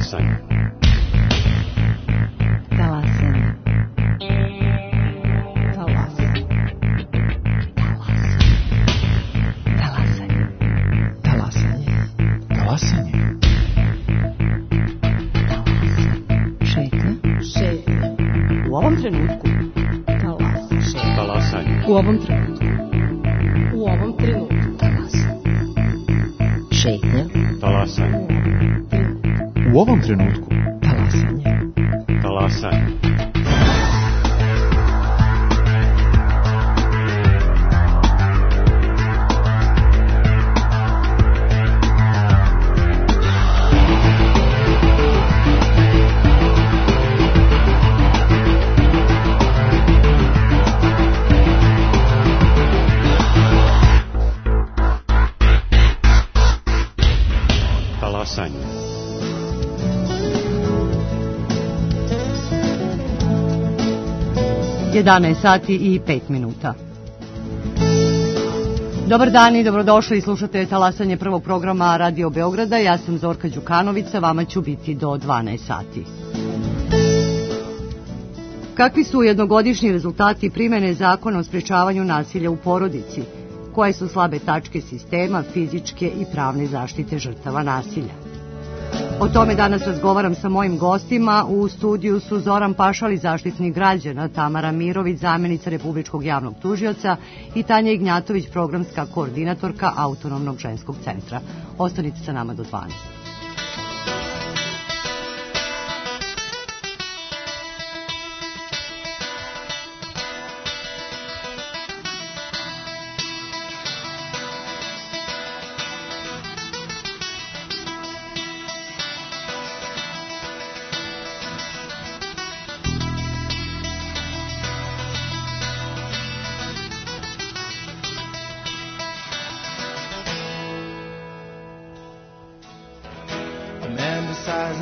Talasanje. Talasanje. Talasanje. Talasanje. Talasanje. Talasanje. Šetnja. Šetnja. U ovom trenutku. Talasanje. U ovom trenutku. U ovom trenutku. Talasanje. Šetnja. Talasanje. U ovom trenutku. Talasanje. Talasanje. Talasanje. 11 sati i 5 minuta. Dobar dan i dobrodošli, slušate Talasanje prvog programa Radio Beograda. Ja sam Zorka Đukanović, sa vama ću biti do 12 sati. Kakvi su jednogodišnji rezultati primene zakona o sprečavanju nasilja u porodici? Koje su slabe tačke sistema fizičke i pravne zaštite žrtava nasilja? O tome danas razgovaram sa mojim gostima. U studiju su Zoran Pašali, Zaštitnik građana, Tamara Mirović, zamjenica Republičkog javnog tužioca i Tanja Ignjatović, programska koordinatorka Autonomnog ženskog centra. Ostanite sa nama do 12.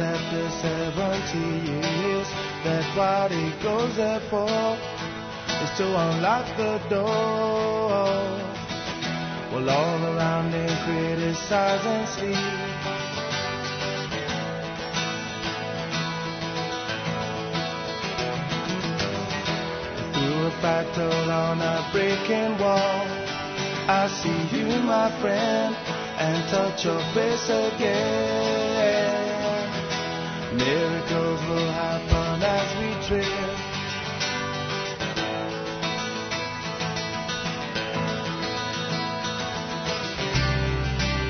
After 70 years, that what he goes there for is to unlock the door. Well, all around they criticize and sleep. Through a battle on a breaking wall, I see you, my friend, and touch your face again. Miracles will happen as we drift.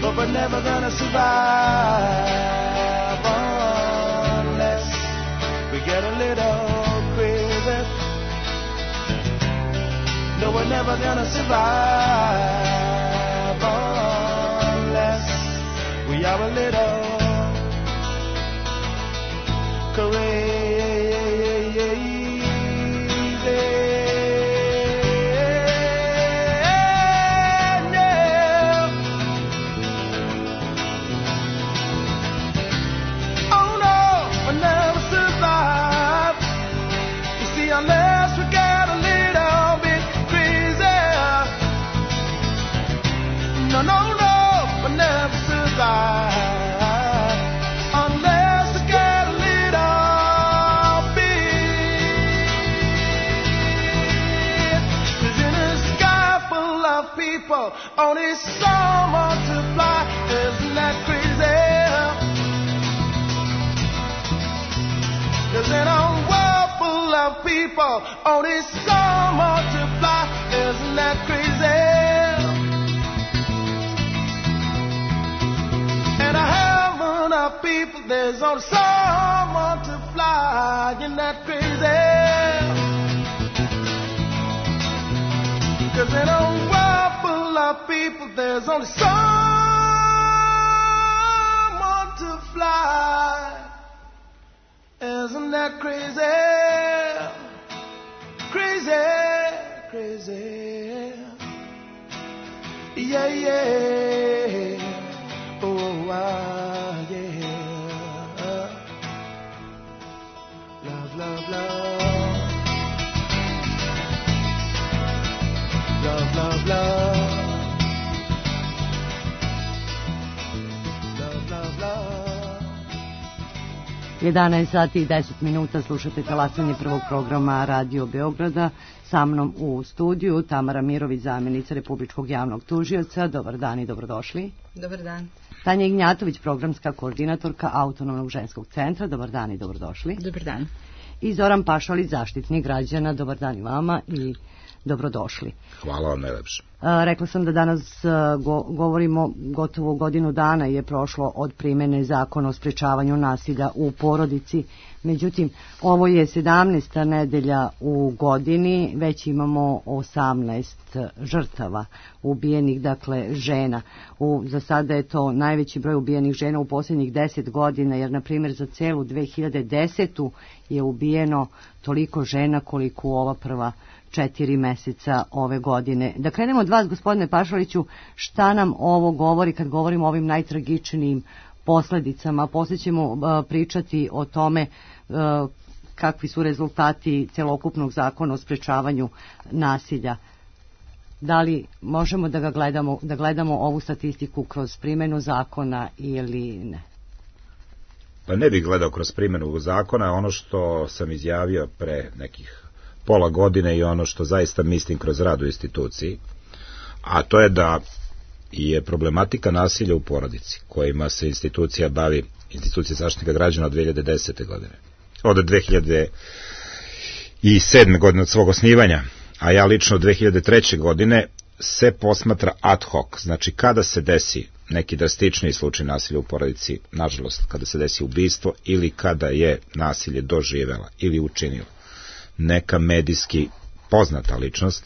But we're never gonna survive unless we get a little crazy. No, we're never gonna survive unless we are a little crazy. Oh no, we'll never survive. You see, unless we get a little bit crazy. No, no, no, we'll never survive. Only some multiply, isn't that crazy? Cause in a world full of people, only some multiply, isn't that crazy? In a heaven of people, there's only some multiply, isn't that crazy? Cause in a world full of people, there's only someone to fly. Isn't that crazy? Crazy, crazy. Yeah, yeah. Oh, yeah. Love, love, love. Love, love, love. Love, love, love. 11 sati i 10 minuta slušate talasanje prvog programa Radio Beograda. Sa mnom u studiju Tamara Mirović, zamjenica Republičkog javnog tužioca. Dobar dan i dobrodošli. Dobar dan. Tanja Ignjatović, programska koordinatorka Autonomnog ženskog centra. Dobar dan i dobrodošli. Dobar dan. I Zoran Pašalić, zaštitnik građana. Dobar dan i vama i dobrodošli. Hvala vam najlepše. Rekla sam da danas govorimo, gotovo godinu dana je prošlo od primene zakona o sprečavanju nasilja u porodici. Međutim, ovo je 17. nedelja u godini, već imamo 18 žrtava ubijenih, dakle žena. Za sada je to najveći broj ubijenih žena u posljednjih 10 godina, jer na primjer za celu 2010. je ubijeno toliko žena koliko u ova prva 4 meseca ove godine. Da krenemo od vas, gospodine Pašaliću, šta nam ovo govori kad govorimo o ovim najtragičnijim posljedicama? Poslije ćemo pričati o tome kakvi su rezultati celokupnog zakona o sprečavanju nasilja. Da li možemo da gledamo ovu statistiku kroz primjenu zakona ili ne? Pa ne bih gledao kroz primjenu zakona, ono što sam izjavio pre nekih pola godine i ono što zaista mislim kroz rad u instituciji, a to je da je problematika nasilja u porodici, kojima se institucija bavi, institucija zaštitnika građana od 2010. godine, od 2007. godine od svog osnivanja, a ja lično od 2003. godine se posmatra ad hoc, znači kada se desi neki drastičniji slučaj nasilja u porodici, nažalost kada se desi ubistvo ili kada je nasilje doživela ili učinila neka medijski poznata ličnost,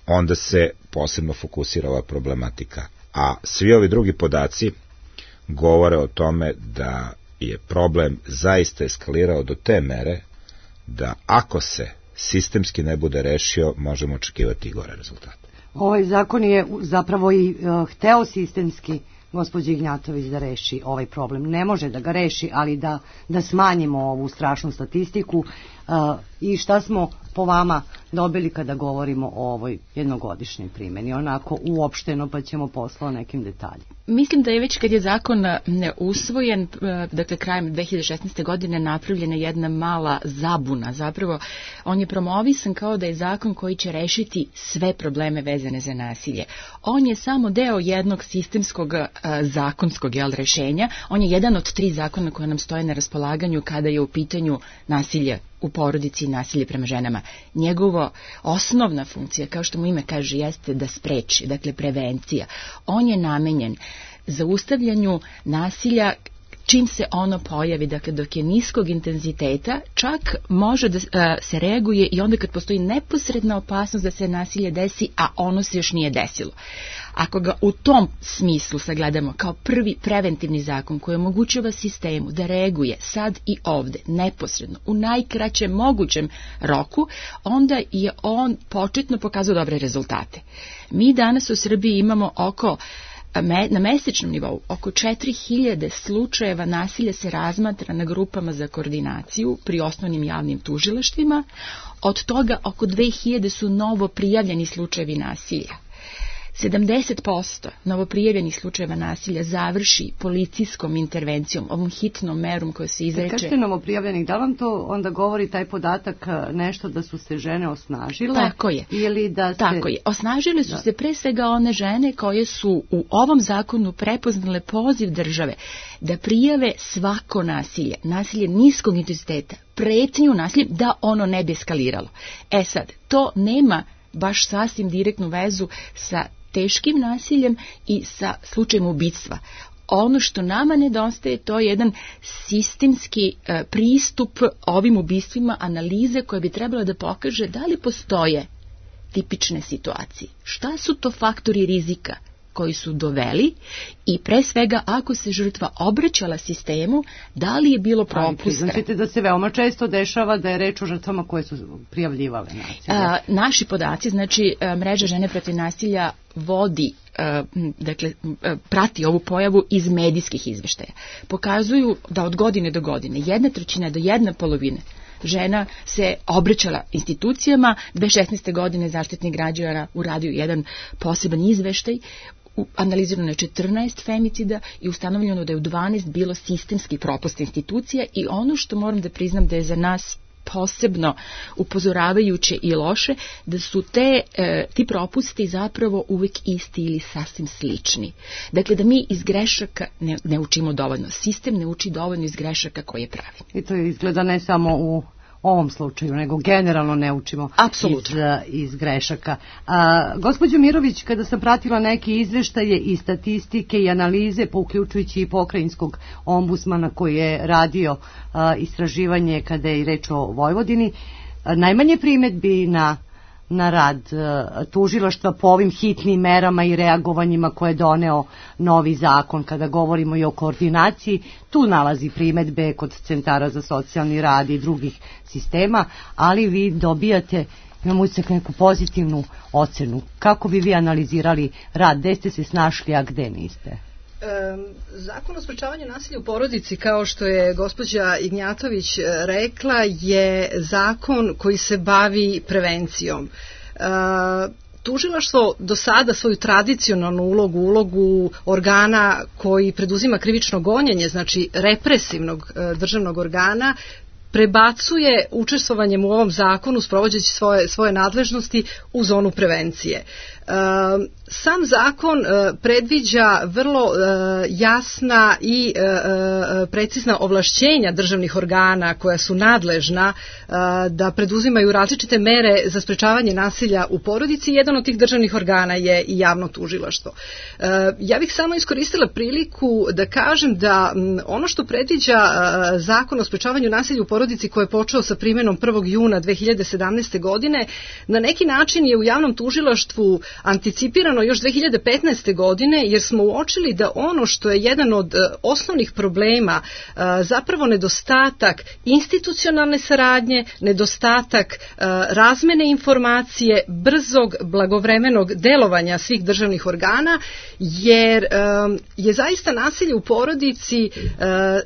onda se posebno fokusira ova problematika. A svi ovi drugi podaci govore o tome da je problem zaista eskalirao do te mere da ako se sistemski ne bude rešio, možemo očekivati i gore rezultate. Ovaj zakon je zapravo i hteo sistemski, gospođa Ignjatović, da reši ovaj problem. Ne može da ga reši, ali da smanjimo ovu strašnu statistiku. I šta smo po vama dobili kada govorimo o ovoj jednogodišnjoj primjeni, onako uopšteno, pa ćemo posle o nekim detaljima. Mislim da je već kad je zakon usvojen, dakle krajem 2016. godine, napravljena jedna mala zabuna. Zapravo, on je promovisan kao da je zakon koji će rešiti sve probleme vezane za nasilje. On je samo deo jednog sistemskog zakonskog rešenja. On je jedan od 3 zakona koje nam stoje na raspolaganju kada je u pitanju nasilje u porodici i nasilje prema ženama. Njegova osnovna funkcija, kao što mu ime kaže, jeste da spreči, dakle prevencija. On je namenjen zaustavljanju nasilja čim se ono pojavi, dakle dok je niskog intenziteta, čak može da se reaguje i onda kad postoji neposredna opasnost da se nasilje desi, a ono se još nije desilo. Ako ga u tom smislu sagledamo kao prvi preventivni zakon koji omogućava sistemu da reaguje sad i ovde, neposredno, u najkraćem mogućem roku, onda je on početno pokazao dobre rezultate. Mi danas u Srbiji imamo na mesečnom nivou oko 4000 slučajeva nasilja se razmatra na grupama za koordinaciju pri osnovnim javnim tužilaštvima. Od toga oko 2000 su novo prijavljeni slučajevi nasilja. 70% novoprijavljenih slučajeva nasilja završi policijskom intervencijom, ovom hitnom merom koja se izreče. Kažete novoprijavljenih, da vam to onda govori taj podatak nešto da su se žene osnažile? Tako je. Ili da se... Tako je. Osnažile su se pre svega one žene koje su u ovom zakonu prepoznale poziv države da prijave svako nasilje, nasilje niskog intenziteta, pretnju nasiljem, da ono ne bi eskaliralo. Sad, to nema baš sasvim direktnu vezu sa teškim nasiljem i sa slučajem ubistva. Ono što nama nedostaje, to je jedan sistemski pristup ovim ubistvima, analize koja bi trebala da pokaže da li postoje tipične situacije. Šta su to faktori rizika koji su doveli i pre svega ako se žrtva obraćala sistemu, da li je bilo propusta. Znači da se veoma često dešava da je reč o žrtvama koje su prijavljivale nasilje. Naši podaci, znači mreža žene protiv nasilja vodi, dakle, prati ovu pojavu iz medijskih izveštaja. Pokazuju da od godine do godine, 1/3 do 1/2 žena se obraćala institucijama. 2016. godine Zaštitnik građana uradio jedan poseban izveštaj analizirano je 14 femicida i ustanovljeno da je u 12 bilo sistemski propust institucija i ono što moram da priznam da je za nas posebno upozoravajuće i loše, da su ti propusti zapravo uvek isti ili sasvim slični. Dakle, da mi iz grešaka ne učimo dovoljno. Sistem ne uči dovoljno iz grešaka koje pravi. I to izgleda ne samo u ovom slučaju, nego generalno ne učimo iz grešaka. Gospođo Mirović, kada sam pratila neke izveštaje i statistike i analize, pa uključujući i pokrajinskog ombudsmana koji je radio istraživanje kada je i reč o Vojvodini, najmanje primedbi na rad tužilaštva po ovim hitnim merama i reagovanjima koje je doneo novi zakon. Kada govorimo i o koordinaciji, tu nalazi primedbe kod centara za socijalni rad i drugih sistema, ali vi dobijate, imamo uvijek neku pozitivnu ocenu. Kako bi vi analizirali rad? Gde ste se snašli, a gde niste? Zakon o sprečavanju nasilja u porodici, kao što je gospođa Ignjatović rekla, je zakon koji se bavi prevencijom. Tužilaštvo do sada svoju tradicionalnu ulogu organa koji preduzima krivično gonjenje, znači represivnog državnog organa, prebacuje učestvovanjem u ovom zakonu, sprovođeći svoje nadležnosti u zonu prevencije. Sam zakon predviđa vrlo jasna i precizna ovlašćenja državnih organa koja su nadležna da preduzimaju različite mere za sprečavanje nasilja u porodici. Jedan od tih državnih organa je i javno tužilaštvo. Ja bih samo iskoristila priliku da kažem da ono što predviđa zakon o sprečavanju nasilja u porodici koji je počeo sa primjenom 1. juna 2017. godine, na neki način je u javnom tužilaštvu anticipirano još 2015. godine, jer smo uočili da ono što je jedan od osnovnih problema, zapravo nedostatak institucionalne saradnje, nedostatak razmene informacije, brzog, blagovremenog delovanja svih državnih organa, jer je zaista nasilje u porodici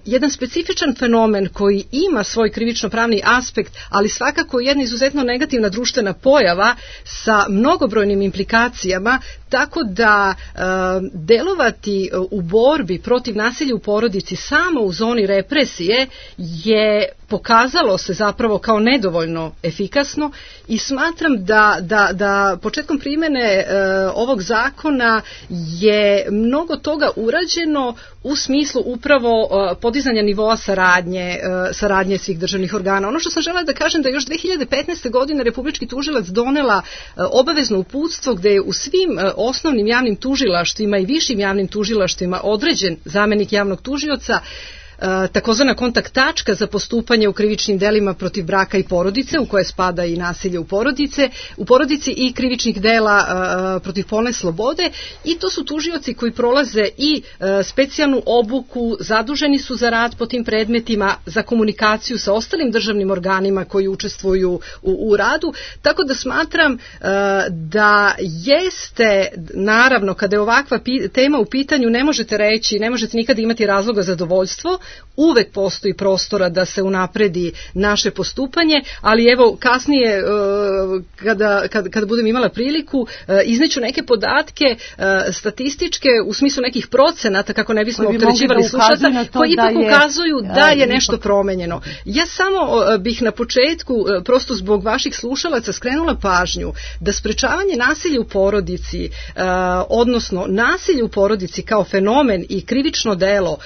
jedan specifičan fenomen koji ima svoj krivično-pravni aspekt, ali svakako jedna izuzetno negativna društvena pojava sa mnogobrojnim implikacijama, tako da delovati u borbi protiv nasilja u porodici samo u zoni represije je pokazalo se zapravo kao nedovoljno efikasno i smatram da početkom primjene ovog zakona je mnogo toga urađeno u smislu upravo podizanja nivoa saradnje svih državnih organa. Ono što sam želela da kažem da još 2015. godine Republički tužilac donela obavezno uputstvo gde je u svim osnovnim javnim tužilaštvima i višim javnim tužilaštvima određen zamenik javnog tužioca, takozvana kontakt tačka za postupanje u krivičnim delima protiv braka i porodice, u koje spada i nasilje u porodici i krivičnih dela protiv polne slobode, i to su tužioci koji prolaze i specijalnu obuku, zaduženi su za rad po tim predmetima, za komunikaciju sa ostalim državnim organima koji učestvuju u radu, tako da smatram da jeste, naravno, kada je ovakva tema u pitanju, ne možete nikada imati razloga za zadovoljstvo, uvek postoji prostora da se unapredi naše postupanje, ali evo kasnije kada budem imala priliku izneću neke podatke statističke u smislu nekih procenata kako ne bismo opterećivali slušatelja, koji ipak ukazuju da je nešto promenjeno. Ja samo bih na početku prosto zbog vaših slušalaca skrenula pažnju da sprečavanje nasilja u porodici, odnosno nasilje u porodici kao fenomen i krivično delo,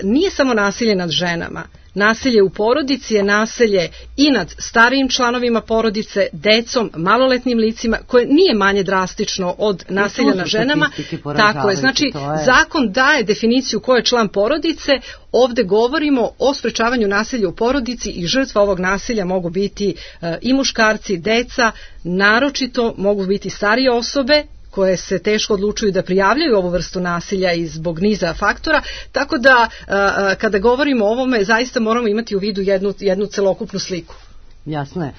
nije samo nasilje nad ženama. Nasilje u porodici je nasilje i nad starijim članovima porodice, decom, maloletnim licima, koje nije manje drastično od nasilja nad ženama. Tako je, znači zakon daje definiciju ko je član porodice, ovde govorimo o sprečavanju nasilja u porodici i žrtva ovog nasilja mogu biti i muškarci, deca, naročito mogu biti starije osobe koje se teško odlučuju da prijavljaju ovu vrstu nasilja i zbog niza faktora, tako da kada govorimo o ovome zaista moramo imati u vidu jednu celokupnu sliku. Jasno je.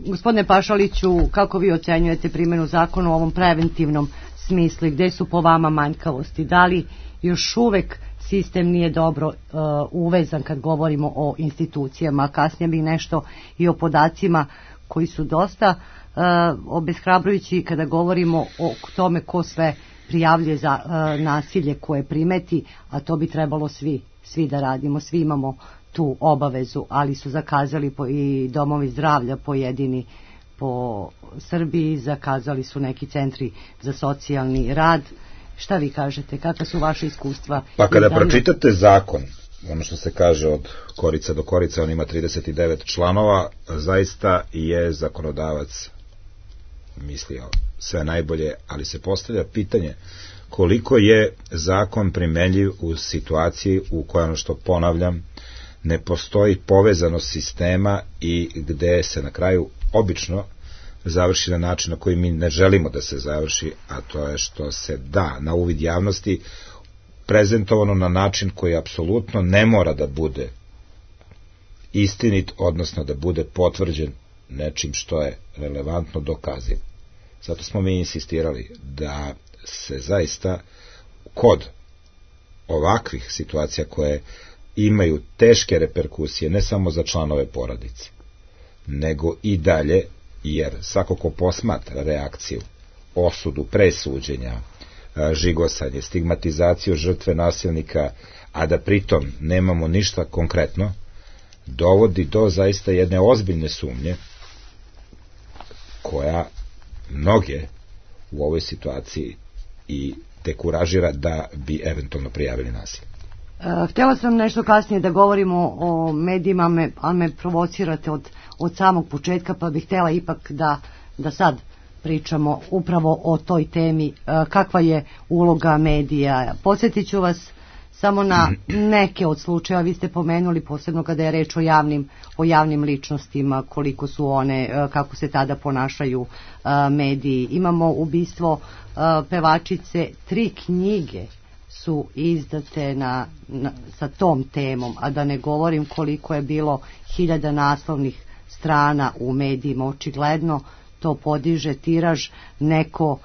Gospodine Pašaliću, kako vi ocenjujete primjenu zakona u ovom preventivnom smislu i gde su po vama manjkavosti? Da li još uvek sistem nije dobro uvezan kad govorimo o institucijama? Kasnije bih nešto i o podacima koji su dosta obeshrabrujući kada govorimo o tome ko sve prijavljuje za nasilje koje primeti, a to bi trebalo svi da radimo, svi imamo tu obavezu, ali su zakazali i domovi zdravlja pojedini po Srbiji, zakazali su neki centri za socijalni rad. Šta vi kažete, kakva su vaše iskustva? Pa kada pročitate zakon, ono što se kaže od korica do korica, on ima 39 članova, zaista je zakonodavac mislio sve najbolje, ali se postavlja pitanje koliko je zakon primenljiv u situaciji u kojoj, ono što ponavljam, ne postoji povezanost sistema i gde se na kraju obično završi na način na koji mi ne želimo da se završi, a to je što se da na uvid javnosti prezentovano na način koji apsolutno ne mora da bude istinit, odnosno da bude potvrđen nečim što je relevantno dokazivo. Zato smo mi insistirali da se zaista kod ovakvih situacija koje imaju teške reperkusije ne samo za članove porodice, nego i dalje, jer svako ko posmatra reakciju, osudu, presuđenja, žigosanje, stigmatizaciju žrtve nasilnika, a da pritom nemamo ništa konkretno, dovodi do zaista jedne ozbiljne sumnje koja mnoge u ovoj situaciji i dekuražira da bi eventualno prijavili nasilje. Htjela sam nešto kasnije da govorimo o medijima, ali me provocirate od samog početka, pa bih htjela ipak da sad pričamo upravo o toj temi, kakva je uloga medija. Podsjetit ću vas samo na neke od slučajeva, vi ste pomenuli posebno kada je reč o javnim ličnostima, koliko su one, kako se tada ponašaju mediji. Imamo ubistvo pevačice, 3 knjige su izdate sa tom temom, a da ne govorim koliko je bilo 1000 naslovnih strana u medijima. Očigledno to podiže tiraž, neko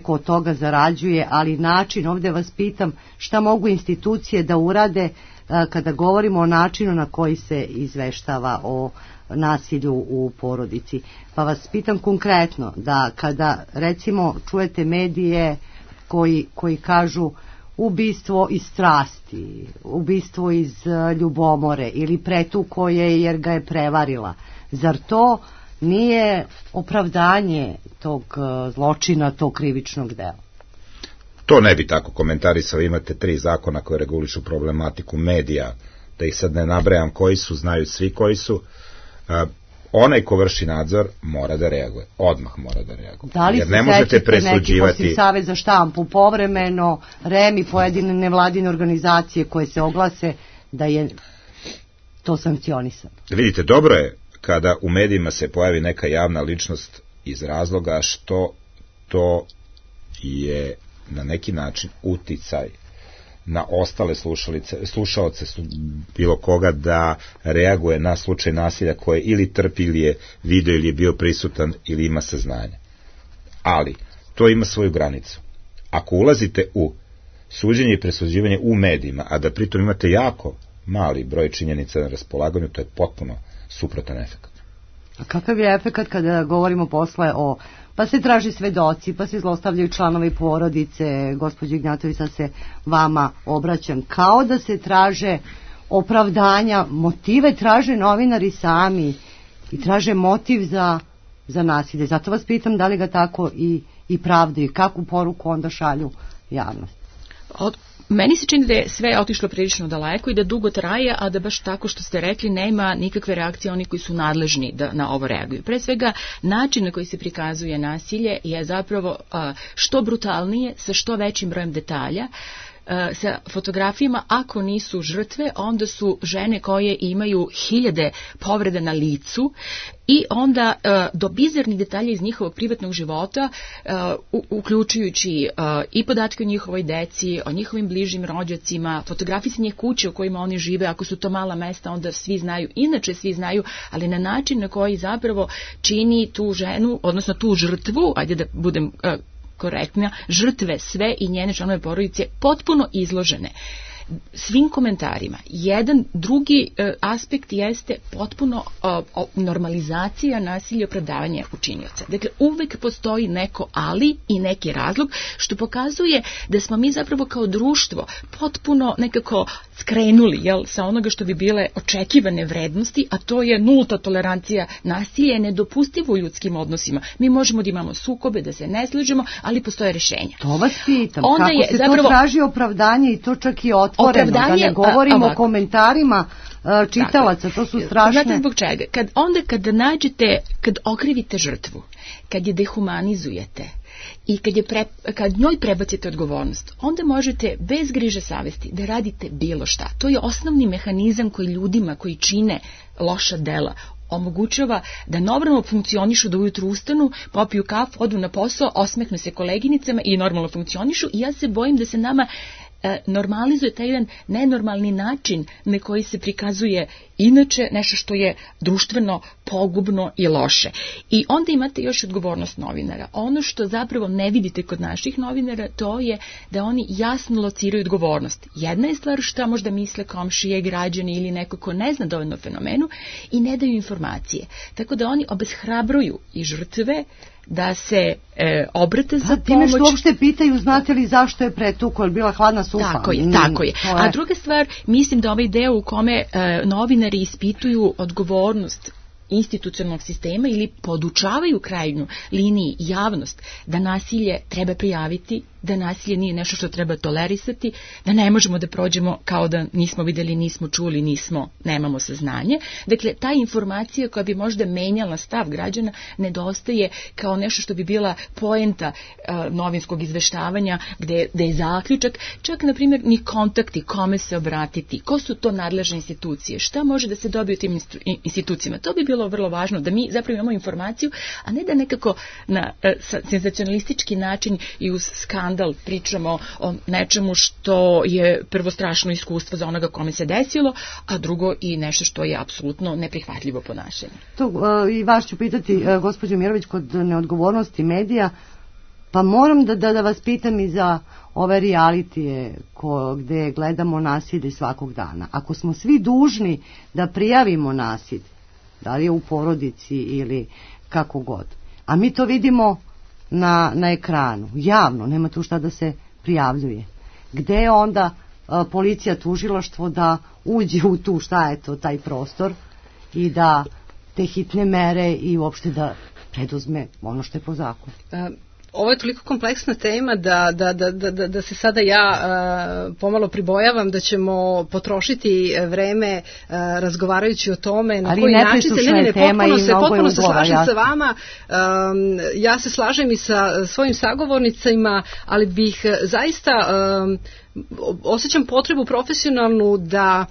od toga zarađuje, ali način, ovdje vas pitam, šta mogu institucije da urade kada govorimo o načinu na koji se izveštava o nasilju u porodici. Pa vas pitam konkretno, da kada recimo čujete medije koji kažu ubistvo iz strasti, ubistvo iz ljubomore ili pretuko je jer ga je prevarila, zar to nije opravdanje tog zločina, tog krivičnog dela? To ne bi tako komentarisao. Imate 3 zakona koje regulišu problematiku medija, da ih sad ne nabrajam koji su, znaju svi koji su. Onaj ko vrši nadzor mora da reaguje, odmah mora da reaguje. Da li jer ne možete presuđivati neki Savez za štampu povremeno, REM i pojedine nevladine organizacije koje se oglase da je to sankcionisano? Vidite, dobro je kada u medijima se pojavi neka javna ličnost iz razloga što to je na neki način uticaj na ostale slušaoce bilo koga da reaguje na slučaj nasilja koje ili trpi ili je video ili je bio prisutan ili ima saznanje. Ali to ima svoju granicu. Ako ulazite u suđenje i presuđivanje u medijima, a da pritom imate jako mali broj činjenica na raspolaganju, to je potpuno suprotan efekt. A kakav je efekt kada govorimo posle pa se traži svedoci, pa se zlostavljaju članovi porodice, gospođo Ignjatović, sad se vama obraćam, kao da se traže opravdanja, motive traže novinari sami i traže motiv za nasilje. Zato vas pitam da li ga tako i pravdaju, kakvu poruku onda šalju javnost? Meni se čini da je sve otišlo prilično daleko i da dugo traje, a da baš tako što ste rekli nema nikakve reakcije oni koji su nadležni da na ovo reaguju. Pre svega, način na koji se prikazuje nasilje je zapravo što brutalnije, sa što većim brojem detalja, sa fotografijama, ako nisu žrtve, onda su žene koje imaju 1000 povreda na licu i onda do bizarnih detalja iz njihovog privatnog života, uključujući i podatke o njihovoj deci, o njihovim bližim rođacima, fotografije sa njih kuće u kojima oni žive, ako su to mala mesta, onda svi znaju, inače svi znaju, ali na način na koji zapravo čini tu ženu, odnosno tu žrtvu, ajde da budem korektna, žrtve sve i njene članove porodice potpuno izložene. svim komentarima. Jedan drugi aspekt jeste potpuno normalizacija nasilja i opravdavanja učinioca. Dakle, uvek postoji neko ali i neki razlog, što pokazuje da smo mi zapravo kao društvo potpuno nekako skrenuli sa onoga što bi bile očekivane vrednosti, a to je nulta tolerancija nasilja, je nedopustivo u ljudskim odnosima. Mi možemo da imamo sukobe, da se ne slažemo, ali postoje rješenja. To vas pitam, onda kako se zapravo to traži opravdanje i to čak i otvoreno, da ne govorimo o komentarima čitalaca, to su strašne. Znate zbog čega? Kad okrivite žrtvu, kad je dehumanizujete i kad njoj prebacite odgovornost, onda možete bez griže savesti da radite bilo šta. To je osnovni mehanizam koji ljudima koji čine loša dela omogućava da normalno funkcionišu, da ujutru ustanu, popiju kafu, odu na posao, osmehnu se koleginicama i normalno funkcionišu. I ja se bojim da se nama normalizuje taj jedan nenormalni način na koji se prikazuje inače nešto što je društveno pogubno i loše. I onda imate još odgovornost novinara. Ono što zapravo ne vidite kod naših novinara, to je da oni jasno lociraju odgovornost. Jedna je stvar šta možda misle komšije, građani ili neko ko ne zna dovoljno o fenomenu i ne daju informacije. Tako da oni obeshrabruju i žrtve da se obrate za pomoć. Time što uopšte pitaju, znate li zašto je pretukao, je bila hladna supa. Tako je. A druga stvar, mislim da ovaj deo u kome novinari ispituju odgovornost institucionalnog sistema ili podučavaju krajnju liniji javnost da nasilje treba prijaviti, da nasilje nije nešto što treba tolerisati, da ne možemo da prođemo kao da nismo videli, nismo čuli, nemamo saznanje. Dakle, ta informacija koja bi možda menjala stav građana nedostaje kao nešto što bi bila poenta novinskog izveštavanja, gde je zaključak, čak na primjer ni kontakti, kome se obratiti, ko su to nadležne institucije, šta može da se dobije u tim institucijama. To bi bilo vrlo važno, da mi zapravo imamo informaciju, a ne da nekako na senzacionalistički način i uz skandal pričamo o nečemu što je prvo strašno iskustvo za onoga kome se desilo, a drugo i nešto što je apsolutno neprihvatljivo ponašanje. I vas ću pitati, gospođo Mirović, kod neodgovornosti medija, pa moram da vas pitam i za ove realitije gde gledamo nasilje svakog dana. Ako smo svi dužni da prijavimo nasilje, da li je u porodici ili kako god, a mi to vidimo na ekranu, javno, nema tu šta da se prijavljuje. Gde je onda policija, tužilaštvo da uđe u tu, šta je to, taj prostor i da te hitne mere i uopšte da preduzme ono što je po zakonu? Ovo je toliko kompleksna tema da se sada ja pomalo pribojavam da ćemo potrošiti vreme razgovarajući o tome na koji način se potpuno se slažem sa vama. Ja se slažem i sa svojim sagovornicima, ali bih zaista osjećam potrebu profesionalnu da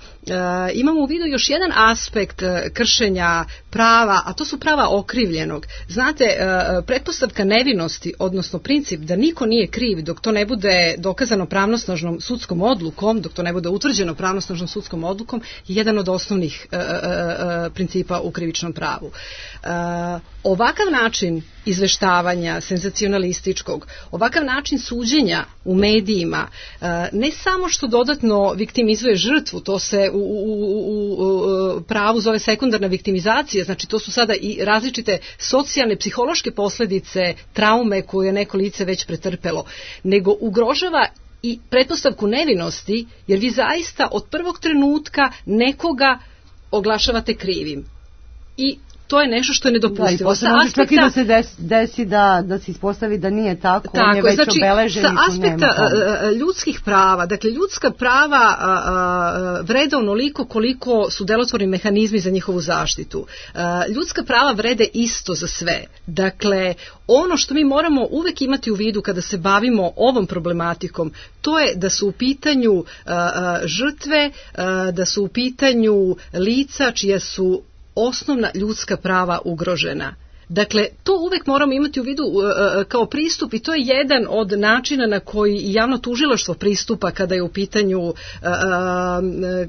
imamo u vidu još jedan aspekt kršenja prava, a to su prava okrivljenog. Znate, pretpostavka nevinosti, odnosno princip da niko nije kriv dok to ne bude dokazano pravnosnažnom sudskom odlukom, dok to ne bude utvrđeno pravnosnažnom sudskom odlukom, je jedan od osnovnih principa u krivičnom pravu. Ovakav način izveštavanja, senzacionalističkog, ovakav način suđenja u medijima, ne samo što dodatno viktimizuje žrtvu, to se u pravu zove sekundarna viktimizacija, znači to su sada i različite socijalne, psihološke posljedice traume koju je neko lice već pretrpelo, nego ugrožava i pretpostavku nevinosti, jer vi zaista od prvog trenutka nekoga oglašavate krivim. I to je nešto što je nedopustivo. Da, i čak i da se desi da se ispostavi da nije tako, on je već obeležen. Sa aspekta ljudskih prava, dakle ljudska prava vrede onoliko koliko su delotvorni mehanizmi za njihovu zaštitu. Ljudska prava vrede isto za sve. Dakle, ono što mi moramo uvek imati u vidu kada se bavimo ovom problematikom, to je da su u pitanju žrtve, da su u pitanju lica čija su osnovna ljudska prava ugrožena. Dakle, to uvek moramo imati u vidu kao pristup i to je jedan od načina na koji javno tužilaštvo pristupa kada je u pitanju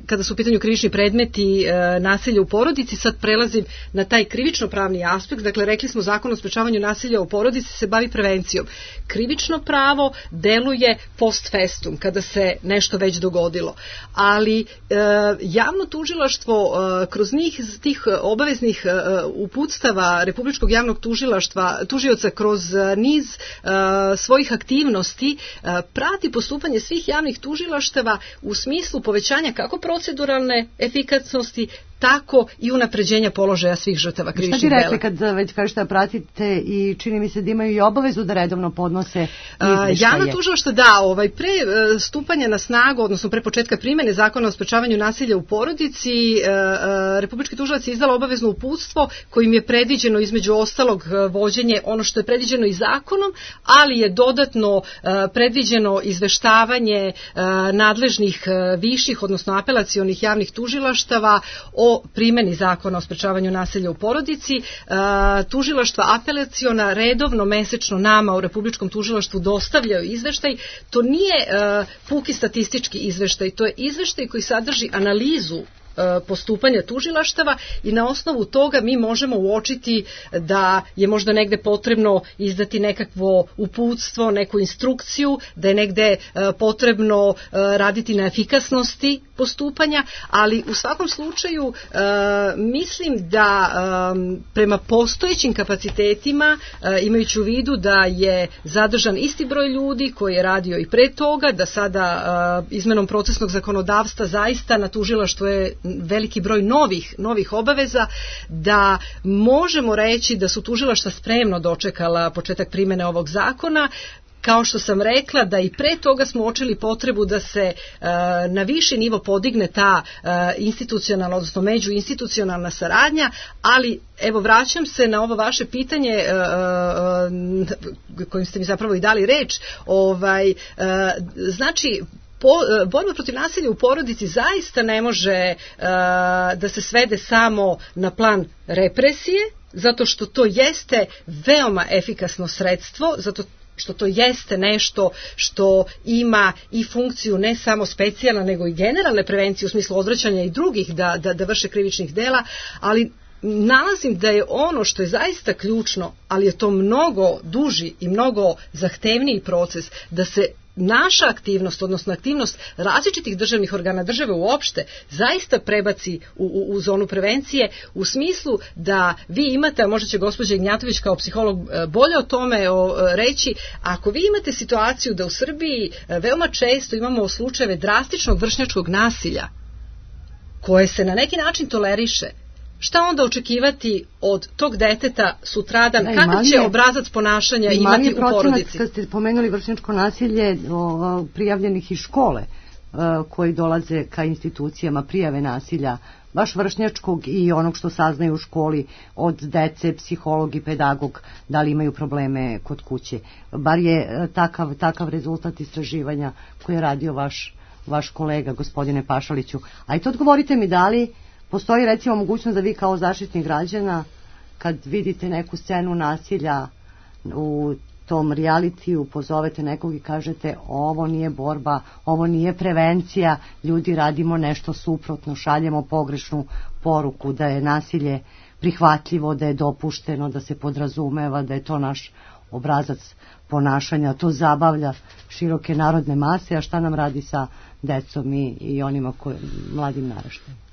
kada su u pitanju krivični predmeti nasilja u porodici. Sad prelazim na taj krivično-pravni aspekt. Dakle, rekli smo Zakon o sprečavanju nasilja u porodici se bavi prevencijom. Krivično pravo deluje post festum, kada se nešto već dogodilo. Ali javno tužilaštvo kroz tih obaveznih uputstava Republičkog javnog tužioca kroz niz svojih aktivnosti prati postupanje svih javnih tužilaštava u smislu povećanja kako proceduralne efikasnosti, tako i unapređenja položaja svih žrtava krivičnih dela. Šta bi rekli kad već kažete da pratite i čini mi se da imaju i obavezu da redovno podnose izveštaje? Javno tužilaštvo pre stupanja na snagu, odnosno pre početka primene Zakona o sprečavanju nasilja u porodici, Republički tužilac je izdala obavezno uputstvo kojim je predviđeno između ostalog vođenje ono što je predviđeno i zakonom, ali je dodatno predviđeno izveštavanje nadležnih viših, odnosno apelacionih javnih tužilaštava o primeni Zakona o sprečavanju nasilja u porodici. Tužilaštva apelaciona redovno mesečno nama u Republičkom tužilaštvu dostavljaju izveštaj. To nije puki statistički izveštaj, to je izveštaj koji sadrži analizu postupanja tužilaštava i na osnovu toga mi možemo uočiti da je možda negde potrebno izdati nekakvo uputstvo, neku instrukciju, da je negde potrebno raditi na efikasnosti postupanja, ali u svakom slučaju mislim da prema postojećim kapacitetima, imajući u vidu da je zadržan isti broj ljudi koji je radio i pre toga, da sada izmenom procesnog zakonodavstva zaista na tužilaštvu je veliki broj novih obaveza, da možemo reći da su tužilaštva spremno dočekala početak primene ovog zakona. Kao što sam rekla, da i pre toga smo uočili potrebu da se na viši nivo podigne ta institucionalna, odnosno međuinstitucionalna saradnja, ali evo vraćam se na ovo vaše pitanje kojim ste mi zapravo i dali reč. Znači, borba protiv nasilja u porodici zaista ne može da se svede samo na plan represije, zato što to jeste veoma efikasno sredstvo, zato što to jeste nešto što ima i funkciju ne samo specijalna, nego i generalne prevencije u smislu odvraćanja i drugih da vrše krivičnih dela, ali nalazim da je ono što je zaista ključno, ali je to mnogo duži i mnogo zahtevniji proces, da se naša aktivnost, odnosno aktivnost različitih državnih organa države uopšte, zaista prebaci u zonu prevencije, u smislu da vi imate, a možda će gospođa Ignjatović kao psiholog bolje o tome reći, ako vi imate situaciju da u Srbiji veoma često imamo slučajeve drastičnog vršnjačkog nasilja, koje se na neki način toleriše, šta onda očekivati od tog deteta sutradan, kakav će obrazac ponašanja imati u porodici? Kad ste pomenuli vršnjačko nasilje prijavljenih iz škole koji dolaze ka institucijama prijave nasilja, baš vršnjačkog i onog što saznaju u školi od dece, psiholog i pedagog, da li imaju probleme kod kuće. Bar je takav rezultat istraživanja koji je radio vaš kolega, gospodine Pašaliću. A i to odgovorite mi, da li postoji recimo mogućnost da vi kao zaštitnik građana, kad vidite neku scenu nasilja u tom realitiju, pozovete nekog i kažete ovo nije borba, ovo nije prevencija, ljudi radimo nešto suprotno, šaljemo pogrešnu poruku da je nasilje prihvatljivo, da je dopušteno, da se podrazumeva, da je to naš obrazac ponašanja, to zabavlja široke narodne mase, a šta nam radi sa decom i onima mladim naraštajima?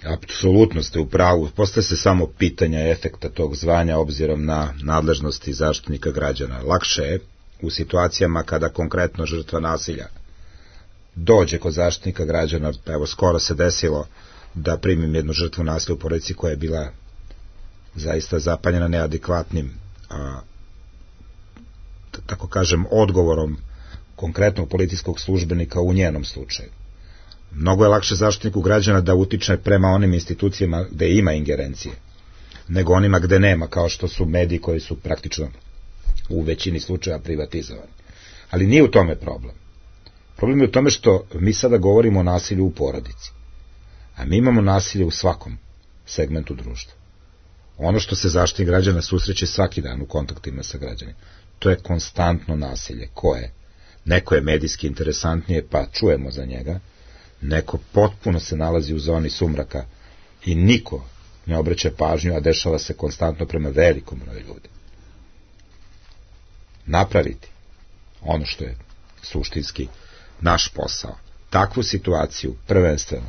Apsolutno ste u pravu. Postaje se samo pitanja efekta tog zvanja obzirom na nadležnosti zaštitnika građana. Lakše je u situacijama kada konkretno žrtva nasilja dođe kod zaštitnika građana. Evo, skoro se desilo da primim jednu žrtvu nasilja u porodici koja je bila zaista zapanjena neadekvatnim, tako kažem, odgovorom konkretnog policijskog službenika u njenom slučaju. Mnogo je lakše zaštitniku građana da utiče prema onim institucijama gde ima ingerencije, nego onima gde nema, kao što su mediji koji su praktično u većini slučaja privatizovani. Ali nije u tome problem. Problem je u tome što mi sada govorimo o nasilju u porodici, a mi imamo nasilje u svakom segmentu društva. Ono što se Zaštitnik građana susreće svaki dan u kontaktima sa građanima, to je konstantno nasilje. Koje? Neko je medijski interesantnije, pa čujemo za njega, neko potpuno se nalazi u zoni sumraka i niko ne obraća pažnju, a dešava se konstantno prema velikom broju ljudi. Napraviti ono što je suštinski naš posao, takvu situaciju prvenstveno,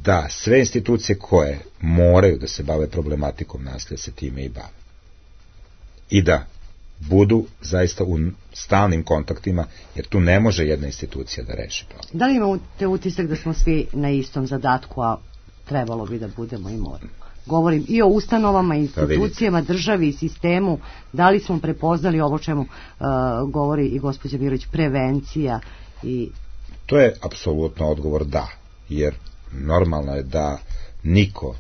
da sve institucije koje moraju da se bave problematikom nasilja se time i bave. I da budu zaista u stalnim kontaktima, jer tu ne može jedna institucija da reši problem. Da li imate utisak da smo svi na istom zadatku, a trebalo bi da budemo i moramo? Govorim i o ustanovama, institucijama, državi i sistemu. Da li smo prepoznali ovo čemu govori i gospođa Mirović, prevencija? To je apsolutno odgovor da, jer normalno je da niko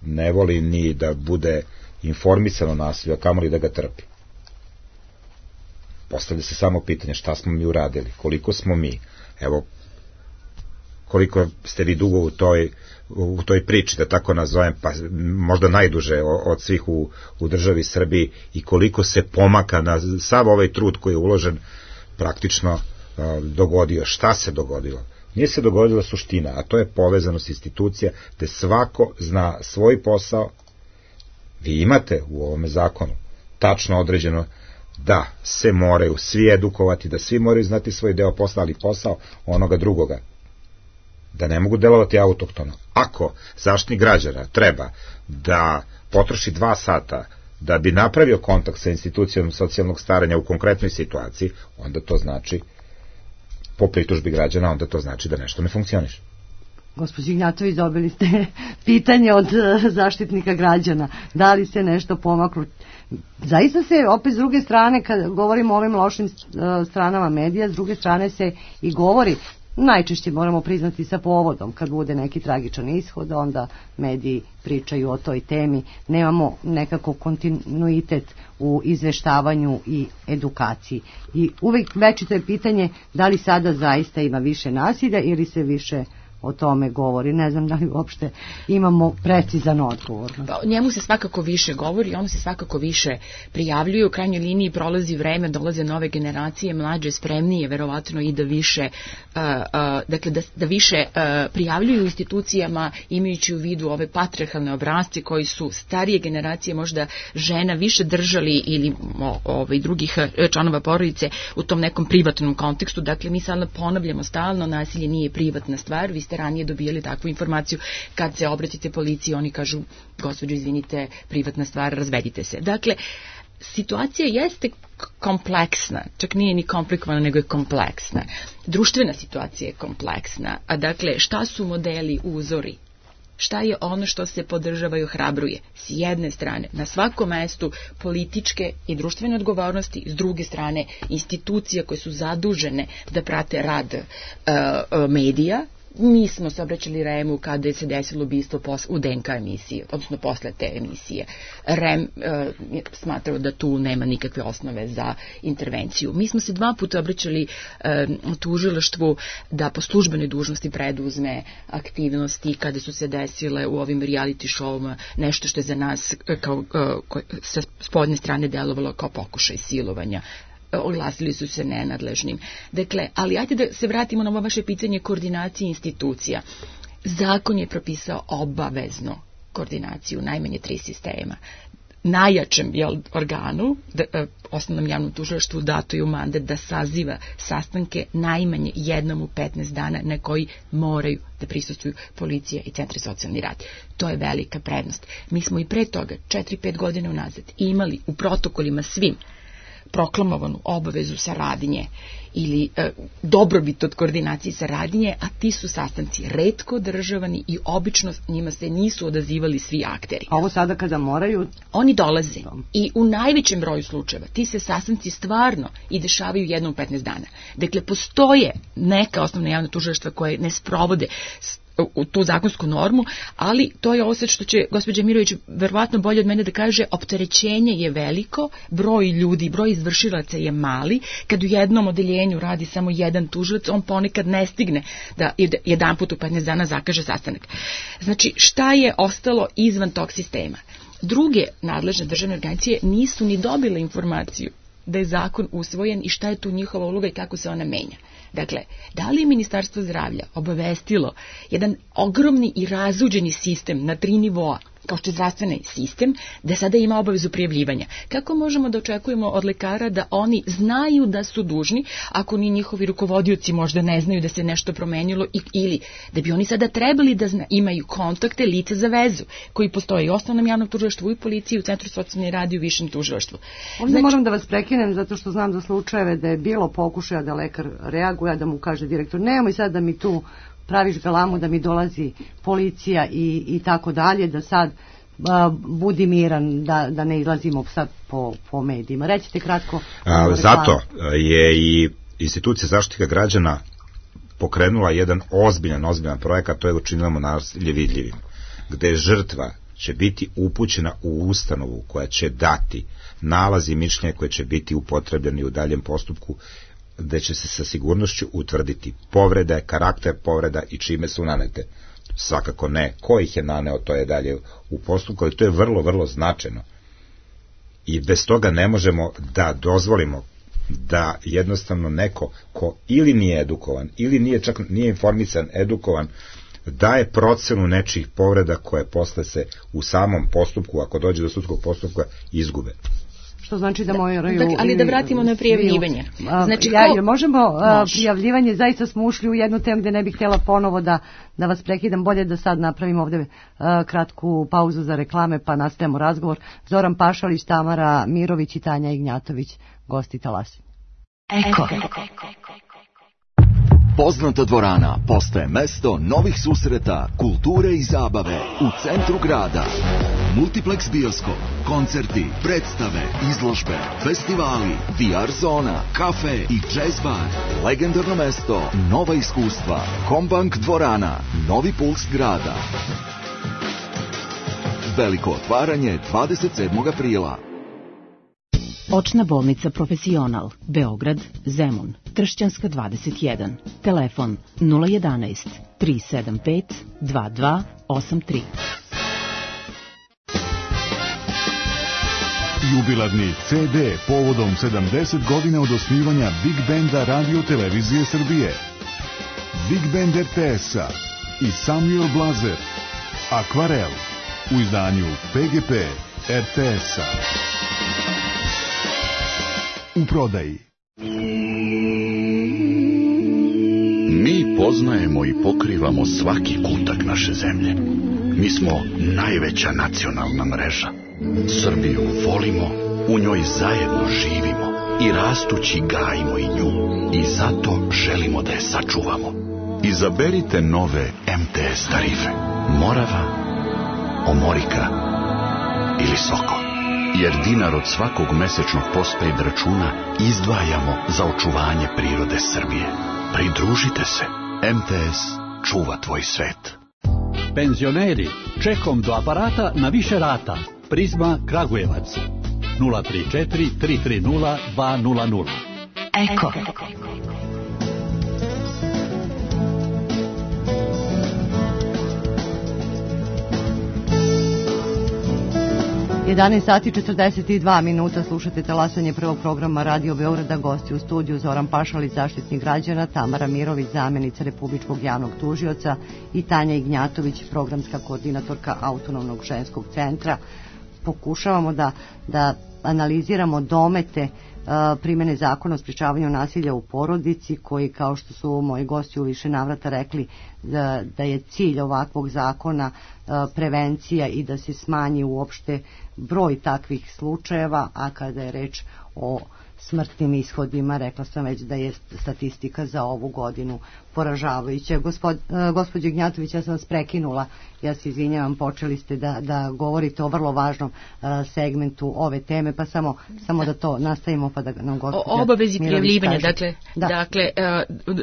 ne voli ni da bude informisan o nasilju, a kamoli da ga trpi. Postavlja se samo pitanje šta smo mi uradili, koliko smo mi, evo, koliko ste vi dugo u toj priči, da tako nazovem, pa možda najduže od svih u državi Srbiji, i koliko se pomaka na sav ovaj trud koji je uložen praktično dogodio. Šta se dogodilo? Nije se dogodila suština, a to je povezanost institucija, gde svako zna svoj posao. Vi imate u ovome zakonu tačno određeno da se moraju svi edukovati, da svi moraju znati svoj deo posla, ali posao onoga drugoga, da ne mogu delovati autohtono. Ako Zaštitnik građana treba da potroši 2 sata da bi napravio kontakt sa institucijom socijalnog staranja u konkretnoj situaciji, onda to znači, po pritužbi građana, onda to znači da nešto ne funkcioniše. Gospođo Ignjatović, dobili ste pitanje od Zaštitnika građana. Da li se nešto pomaklo? Zaista se, opet s druge strane, kad govorimo o ovim lošim stranama medija, s druge strane se i govori, najčešće moramo priznati sa povodom, kad bude neki tragičan ishod, onda mediji pričaju o toj temi. Nemamo nekako kontinuitet u izveštavanju i edukaciji. I uvek večito je pitanje da li sada zaista ima više nasilja ili se više o tome govori. Ne znam da li uopšte imamo precizan odgovor. Pa, njemu se svakako više govori, ono se svakako više prijavljuju. U krajnjoj liniji prolazi vreme, dolaze nove generacije, mlađe, spremnije, verovatno i da više, dakle da više prijavljuju institucijama, imajući u vidu ove patrijarhalne obrasce koji su starije generacije, možda žena, više držali ili drugih članova porodice u tom nekom privatnom kontekstu. Dakle, mi sad ponavljamo stalno, nasilje nije privatna stvar. Vi ste ranije dobijali takvu informaciju, kad se obratite policiji, oni kažu, gospođo, izvinite, privatna stvar, razvedite se. Dakle, situacija jeste kompleksna, čak nije ni komplikovana, nego je kompleksna. Društvena situacija je kompleksna, a dakle, šta su modeli, uzori? Šta je ono što se podržava i ohrabruje? S jedne strane, na svakom mestu političke i društvene odgovornosti, s druge strane, institucije koje su zadužene da prate rad medija. Mi smo se obraćali REM-u kada je se desilo ubistvo u DNK emisiji, odnosno posle te emisije. REM smatrao da tu nema nikakve osnove za intervenciju. Mi smo se 2 puta obraćali tužilaštvu da po službenoj dužnosti preduzme aktivnosti kada su se desile u ovim reality showima nešto što je za nas sa spodnje strane delovalo kao pokušaj silovanja. Oglasili su se nenadležnim. Dakle, ali ajde da se vratimo na ovo vaše pitanje koordinacije institucija. Zakon je propisao obavezno koordinaciju najmanje 3 sistema. Najjačem organu, osnovnom javnom tužilaštvu, dato je u mandat da saziva sastanke najmanje jednom u 15 dana na koji moraju da prisustvuju policija i centri socijalni rad. To je velika prednost. Mi smo i pre toga, 4-5 godina unazad, imali u protokolima svim proklamovanu obavezu saradnje ili dobrobit od koordinacije saradnje, a ti su sastanci retko održavani i obično njima se nisu odazivali svi akteri. A ovo sada kada moraju? Oni dolaze i u najvećem broju slučajeva ti se sastanci stvarno i dešavaju jednom u 15 dana. Dakle, postoje neka osnovna javna tužilaštva koje ne sprovode u tu zakonsku normu, ali to je ovo sad što će gospođa Mirović verovatno bolje od mene da kaže, opterećenje je veliko, broj ljudi, broj izvršilaca je mali, kad u jednom odeljenju radi samo jedan tužilac, on ponekad ne stigne da jedan put u 15 dana zakaže sastanak. Znači, šta je ostalo izvan tog sistema? druge nadležne državne organizacije nisu ni dobile informaciju da je zakon usvojen i šta je tu njihova uloga i kako se ona menja. Dakle, da li je Ministarstvo zdravlja obavestilo jedan ogromni i razuđeni sistem na 3 nivoa, kao što je zdravstveni sistem, da sada ima obavezu prijavljivanja? Kako možemo da očekujemo od lekara da oni znaju da su dužni, ako ni njihovi rukovodioci možda ne znaju da se nešto promenilo, ili da bi oni sada trebali da imaju kontakte, lice za vezu, koji postoje i u osnovnom javnom tužilaštvu, i u policiji, u Centru socijalne rada i u višem tužilaštvu. Ovdje moram da vas prekinem, zato što znam za slučajeve da je bilo pokušaja da lekar reaguje, da mu kaže direktor, nemoj sad da mi tu praviš galamu, da mi dolazi policija i tako dalje, da sad budi miran, da ne izlazimo sad po medijima. Rećite kratko. Zato je i institucija zaštite građana pokrenula jedan ozbiljan projekat, to je učinilo nasilje vidljivim, gde žrtva će biti upućena u ustanovu koja će dati nalaz i mišljenje koje će biti upotrebljeni u daljem postupku, gde će se sa sigurnošću utvrditi povrede, karakter povreda i čime su nanete. Svakako ne ko ih je naneo, to je dalje u postupku, ali to je vrlo značajno. I bez toga ne možemo da dozvolimo da jednostavno neko ko ili nije edukovan, ili nije informisan, edukovan, daje procenu nečijih povreda koje posle se u samom postupku, ako dođe do sudskog postupka, izgube. Što znači da moraju... Ali da vratimo na prijavljivanje. Znači, možemo prijavljivanje, zaista smo ušli u jednu temu gde ne bih htjela ponovo da vas prekidam, bolje da sad napravimo ovde kratku pauzu za reklame pa nastavimo razgovor. Zoran Pašalić, Tamara Mirović i Tanja Ignjatović, gosti Talasinje. Eko. Poznata dvorana postaje mesto novih susreta, kulture i zabave u centru grada. Multiplex bioskop, koncerti, predstave, izložbe, festivali, VR zona, kafe i jazz bar. Legendarno mesto, nova iskustva. Kombank dvorana, novi puls grada. Veliko otvaranje 27. aprila. Očna bolnica Profesional, Beograd, Zemun, Tršćanska 21, telefon 011 375 2283. Jubilarni CD povodom 70 godina od osnivanja Big Benda Radio Televizije Srbije. Big Band RTS-a i Samuel Blazer, Akvarel, u izdanju PGP RTS-a. U prodaji. Mi poznajemo i pokrivamo svaki kutak naše zemlje. Mi smo najveća nacionalna mreža. Srbiju volimo, u njoj zajedno živimo i rastući gajimo i nju. I zato želimo da je sačuvamo. Izaberite nove MTS tarife. Morava, Omorika ili Sokol. Jer dinar od svakog mesečnog postpaid računa izdvajamo za očuvanje prirode Srbije. Pridružite se. MTS čuva tvoj svet. Penzioneri, čekom do aparata na više rata. Prizma Kragujevac. 034 330 200. Eko. 11 sati 42 minuta, slušate talasanje prvog programa Radio Beograda, gosti u studiju Zoran Pašalić, zaštitnik građana, Tamara Mirović, zamjenica Republičkog javnog tužioca i Tanja Ignjatović, programska koordinatorka Autonomnog ženskog centra. Pokušavamo da analiziramo domete primene zakona o sprečavanju nasilja u porodici, koji, kao što su moji gosti u više navrata rekli, da je cilj ovakvog zakona prevencija i da se smanji uopšte broj takvih slučajeva, a kada je reč o smrtnim ishodima, rekla sam već da je statistika za ovu godinu poražavajuća. Gospođo Ignjatović, ja sam vas prekinula, ja se izvinjavam, počeli ste da govorite o vrlo važnom segmentu ove teme, pa samo da to nastavimo pa da nam gospođa obavezi prijavljivanja. Dakle,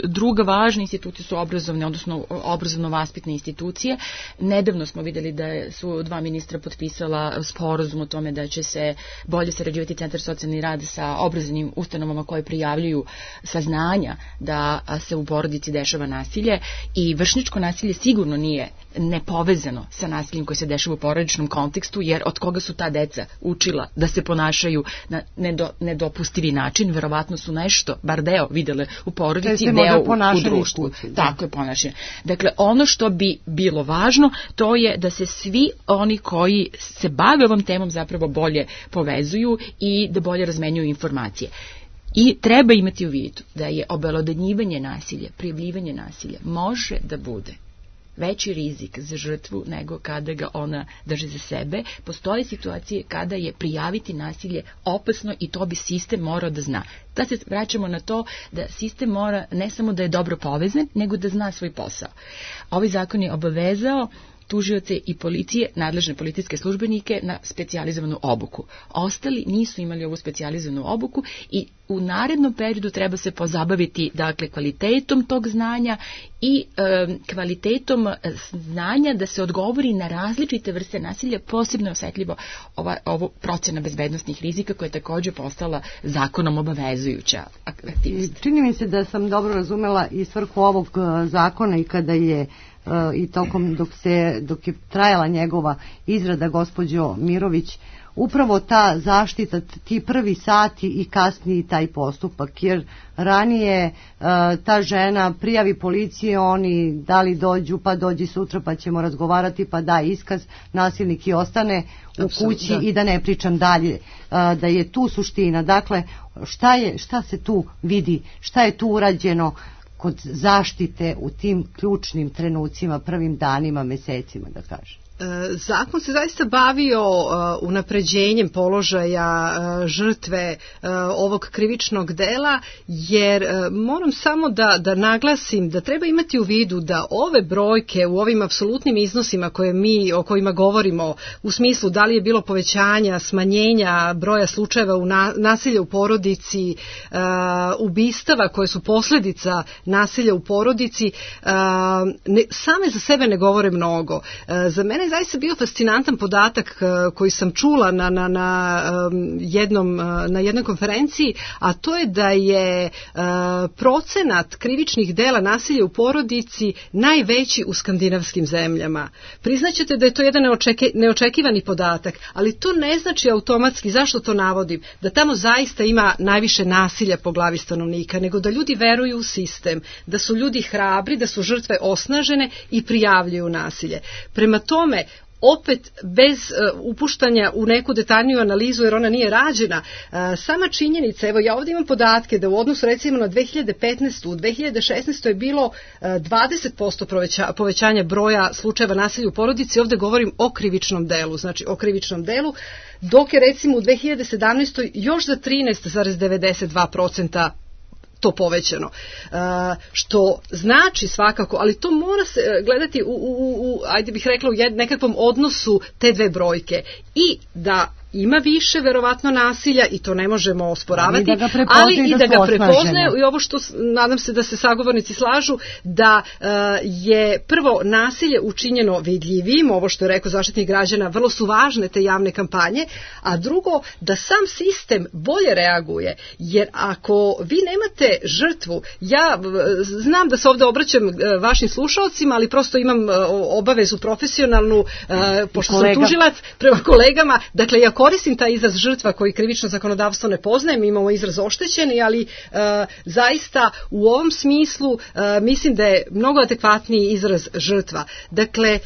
druga važna institucija su obrazovne, odnosno obrazovno-vaspitne institucije. Nedavno smo vidjeli da su 2 ministra potpisala sporazum o tome da će se bolje sarađivati Centar socijalni rad sa obrazovnim obrazovnim ustanovama koje prijavljuju saznanja da se u porodici dešava nasilje, i vršnjačko nasilje sigurno nije nepovezano sa nasiljem koje se dešava u porodičnom kontekstu, jer od koga su ta deca učila da se ponašaju na nedopustivi način, verovatno su nešto, bar deo videle u porodici, deo u društvu. Tako je ponašanje. Dakle, ono što bi bilo važno, to je da se svi oni koji se bave ovom temom zapravo bolje povezuju i da bolje razmenjuju informacije. I treba imati u vidu da je obelodanjivanje nasilja, prijavljivanje nasilja može da bude veći rizik za žrtvu nego kada ga ona drži za sebe. Postoje situacije kada je prijaviti nasilje opasno i to bi sistem morao da zna. Da se vraćamo na to da sistem mora ne samo da je dobro povezan, nego da zna svoj posao. Ovaj zakon je obavezao tužioce i policije, nadležne policijske službenike na specijalizovanu obuku. Ostali nisu imali ovu specijalizovanu obuku i u narednom periodu treba se pozabaviti, dakle, kvalitetom tog znanja i kvalitetom znanja da se odgovori na različite vrste nasilja, posebno osetljivo ovo procena bezbednostnih rizika koja je također postala zakonom obavezujuća aktivnost. Čini mi se da sam dobro razumela i svrhu ovog zakona i kada je i tokom dok je trajala njegova izrada, gospođo Mirović, upravo ta zaštita, ti prvi sati i kasniji taj postupak, jer ranije ta žena prijavi policiji, oni da li dođu, pa dođi sutra pa ćemo razgovarati, pa da iskaz, nasilnik i ostane u kući i da ne pričam dalje, da je tu suština. Dakle, šta se tu vidi, šta je tu urađeno kod zaštite u tim ključnim trenucima, prvim danima, mesecima, da kažem? Zakon se zaista bavio unapređenjem položaja žrtve ovog krivičnog dela, jer moram samo da naglasim da treba imati u vidu da ove brojke u ovim apsolutnim iznosima o kojima govorimo, u smislu da li je bilo povećanja, smanjenja broja slučajeva nasilja u porodici, ubistava koje su posljedica nasilja u porodici, same za sebe ne govore mnogo. Za mene je zaista bio fascinantan podatak koji sam čula na jednoj konferenciji, a to je da je procenat krivičnih dela nasilja u porodici najveći u skandinavskim zemljama. Priznaćete da je to jedan neočekivani podatak, ali to ne znači automatski, zašto to navodim, da tamo zaista ima najviše nasilja po glavi stanovnika, nego da ljudi veruju u sistem, da su ljudi hrabri, da su žrtve osnažene i prijavljuju nasilje. Prema tome, opet bez upuštanja u neku detaljniju analizu, jer ona nije rađena, sama činjenica, evo ja ovdje imam podatke da u odnosu recimo na 2015. u 2016. je bilo 20% povećanja broja slučajeva nasilja u porodici, ovdje govorim o krivičnom delu, znači o krivičnom delu, dok je recimo u 2017. još za 13,92% to povećano. Što znači svakako, ali to mora se gledati ajde bih rekla, u nekakvom odnosu te dve brojke. I da ima više verovatno nasilja i to ne možemo osporavati, ali i da ga prepoznaje i ovo što nadam se da se sagovornici slažu, da je prvo nasilje učinjeno vidljivim, ovo što je rekao Zaštitnik građana, vrlo su važne te javne kampanje, a drugo da sam sistem bolje reaguje, jer ako vi nemate žrtvu, ja znam da se ovdje obraćam vašim slušalcima, ali prosto imam obavezu profesionalnu, pošto sam tužilac prema kolegama, dakle ja koristim taj izraz žrtva koji krivično zakonodavstvo ne poznaje, mi imamo izraz oštećeni, ali zaista u ovom smislu mislim da je mnogo adekvatniji izraz žrtva. Dakle,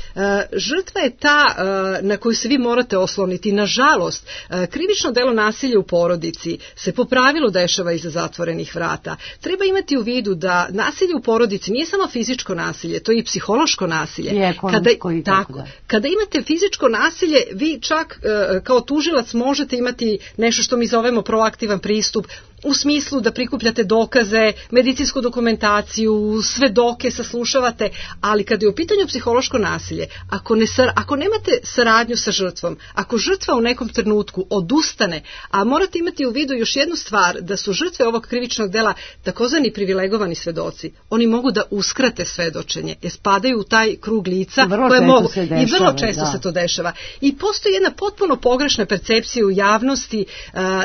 žrtva je ta na koju se vi morate osloniti. Nažalost, krivično delo nasilja u porodici se po pravilu dešava iza zatvorenih vrata. Treba imati u vidu da nasilje u porodici nije samo fizičko nasilje, to je i psihološko nasilje. Kada imate fizičko nasilje, vi čak kao tužilac možete imati nešto što mi zovemo proaktivan pristup, u smislu da prikupljate dokaze, medicinsku dokumentaciju, svedoke saslušavate, ali kada je u pitanju psihološko nasilje, ako nemate saradnju sa žrtvom, ako žrtva u nekom trenutku odustane, a morate imati u vidu još jednu stvar, da su žrtve ovog krivičnog dela takozvani privilegovani svedoci, oni mogu da uskrate svedočenje, jer spadaju u taj krug lica koje mogu, i vrlo često se to dešava. I postoji jedna potpuno pogrešna percepcija u javnosti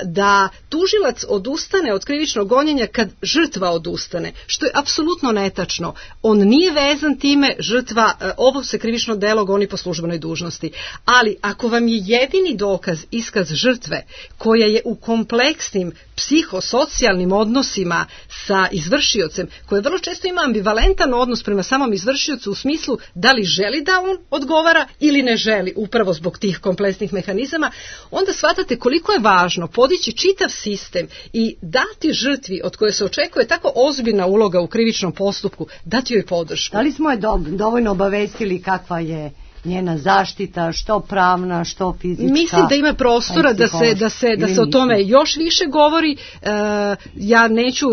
da tužilac odustane odustane od krivičnog gonjenja kad žrtva odustane, što je apsolutno netačno. On nije vezan time, žrtva, ovo se krivično delo goni po službenoj dužnosti. Ali ako vam je jedini dokaz iskaz žrtve koja je u kompleksnim psihosocijalnim odnosima sa izvršiocem, koja vrlo često ima ambivalentan odnos prema samom izvršiocu u smislu da li želi da on odgovara ili ne želi, upravo zbog tih kompleksnih mehanizama, onda shvatate koliko je važno podići čitav sistem i dati žrtvi od koje se očekuje tako ozbiljna uloga u krivičnom postupku, dati joj podršku. Da li smo je dovoljno obavestili kakva je njena zaštita, što pravna, što fizička? Mislim da ima prostora da se o tome još više govori. Ja neću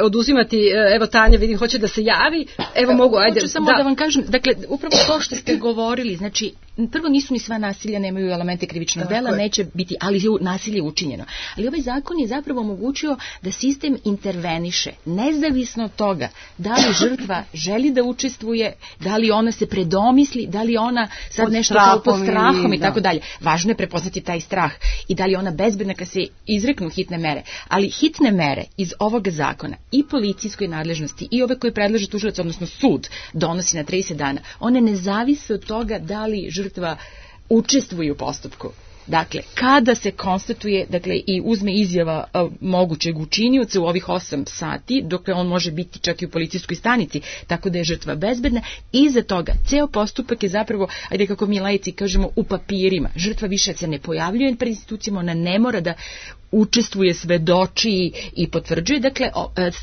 oduzimati, evo Tanja vidim hoće da se javi. Evo mogu, ajde. Hoću samo da vam kažem, dakle upravo to što ste govorili, znači prvo nisu ni sva nasilja nemaju elemente krivičnog dela, neće biti, ali je nasilje učinjeno. Ali ovaj zakon je zapravo omogućio da sistem interveniše, nezavisno od toga da li žrtva želi da učestvuje, da li ona se predomisli, da li ona sad nešto kao pod strahom i tako dalje. Važno je prepoznati taj strah i da li ona bezbedna kad se izreknu hitne mere. Ali hitne mere iz ovoga zakona i policijskoj nadležnosti i ove koje predlaže tužilac, odnosno sud, donosi na 30 dana, one ne zavise od toga da li žrtva učestvuje u postupku. Dakle, kada se konstatuje, dakle, i uzme izjava mogućeg učinioca u ovih 8 sati, dok on može biti čak i u policijskoj stanici, tako da je žrtva bezbedna, iza toga ceo postupak je zapravo, ajde kako mi laici kažemo, u papirima. Žrtva više se ne pojavljuje pred institucijama, ona ne mora da učestvuje, svedoči i potvrđuje. Dakle,